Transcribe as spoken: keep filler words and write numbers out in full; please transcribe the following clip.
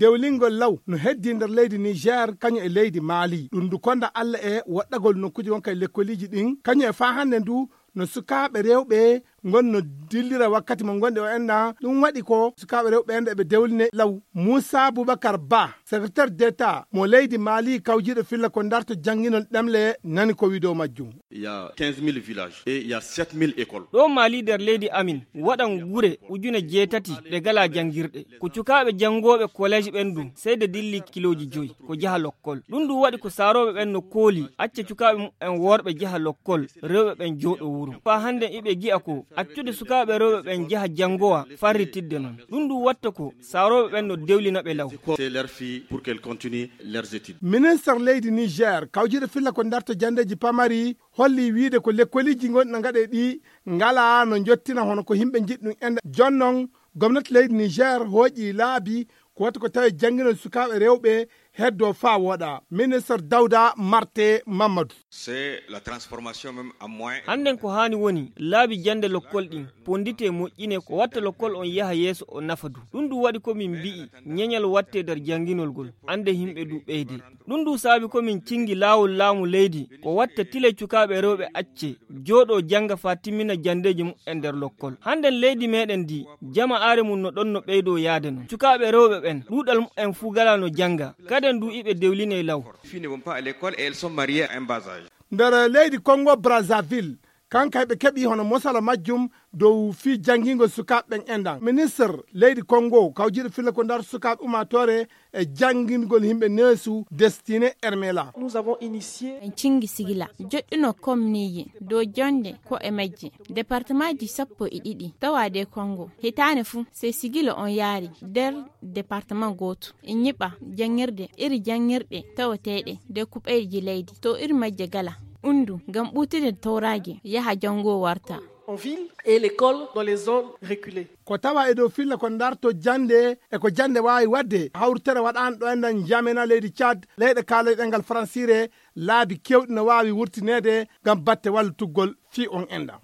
Dewlingol law no heddii nder leydi Niger, kañum e leydi Mali. Ɗum ndu konda Alla e woɗɗagol nokkuuji wonka e lekkoliiji ɗin, kañum e faa hannde ndu no sukaaɓe rewɓe ngon no dillira wakkati mo ngonɗi o enna. Ɗum waɗi ko sukaaɓe rewɓe ɓen eɓe dewline law. Moussa Boubacar Ba, secrétaire d'État mo leydi Mali, kawjiiɗo filla ko darto jannginol ɗemle, nani ko wi'o dow majjum. Il y a quinze mille villages et il y a sept mille écoles. Ɗo Mali nder leydi amin, waɗan gure ujune jeetati ɗe galaa janngirɗe. Ko cukaaɓe janngooɓe collège ɓen ɗum, sey de dilli kilooji joyi, ko jaha lokkol. Ɗum ɗum waɗi ko saarooɓe ɓen no kooli, acca cukaaɓe mumen worɓe jaha lokkol, rewɓe ɓen jooɗo wuro. Faa hannden iɓe gi'a ko, accude sukaaɓe rewɓe ɓen jaha janngowa, farritidde non. Ɗum ɗum watta ko, saarooɓe ɓen no dewlina ɓe law. C'est leur fille pour qu'elle continue leurs études. Ministre leydi Niger, kawjiiɗo filla ko darto janndeeji pamari, holli wiide ko lekkoliiji ngonɗi no ngaɗe ɗi ngalaa no njottina hono ko yimɓe njiɗi ɗum. Ende jonnon, gomnati leydi Niger hooƴi laabi ko wata ko tawi jannginol sukaaɓe rewɓe heddo faa wooɗa. Ministre Dawda Marte Mamadou. C'est la transformation même en moins. Hannden ko haani woni laabi jannde lokkol ɗin, ponnditee moƴƴinee ko watta lokkol on yaha yeeso o nafa du. Ɗum ɗum waɗi ko min mbi'i ñeñal wattee nder jannginol ngol, annde yimɓe du ɓeyde. Ɗum ɗum saabi ko min cinngi laawol laamu leydi, ko watta tile cukaaɓe rewɓe acce, jooɗoo jannga faa timmina janndeeji mumen nder lokkol. Hannden leydi meɗen ndi, jama'aare mum no ɗon no ɓeydoo yaade non. Cukaaɓe rewɓe ɓen, ɗuuɗal mumen fuu galaa no jannga, kaden du iɓe dewlinee law. Filles ne vont pas à l'école et elles sont mariées à un bas âge. Nder leydi Congo Brazzaville, kanka ɓe keɓi hono mosala majjum dow fii janngingol sukaaɓe ɓen enɗan. Ministre leydi Congo, kawjiiɗo filla ko darto sukaaɓe ummaatoore e janngingol yimɓe neesu, Destiné Ermela. Nous avons initié. En cinngi sigila, joɗɗuno komniiji dow jonnde ko e majje. Departemaaji sappo e ɗiɗi tawa de Congo. Hitaande fuu, sey sigila on yaari nder departement gooto. E ñiɓa janngirde, iri janngirɗe tawateeɗe nder kuɓeeji leydi, to iri majje gala. Undu, ngam ɓuutude tawraage, yaha janngo warta. En ville et l'école dans les zones reculées. Ko tawa e dow filla ko darto jannde e ko jannde waawi waɗde, hawritere waɗaano ɗo enɗan N'Djamena leydi Tchad, leyɗe kaalay ɗemngal faransiire, laabi keewɗi no waawi wurtineede ngam batte wallitugol fii on enɗan.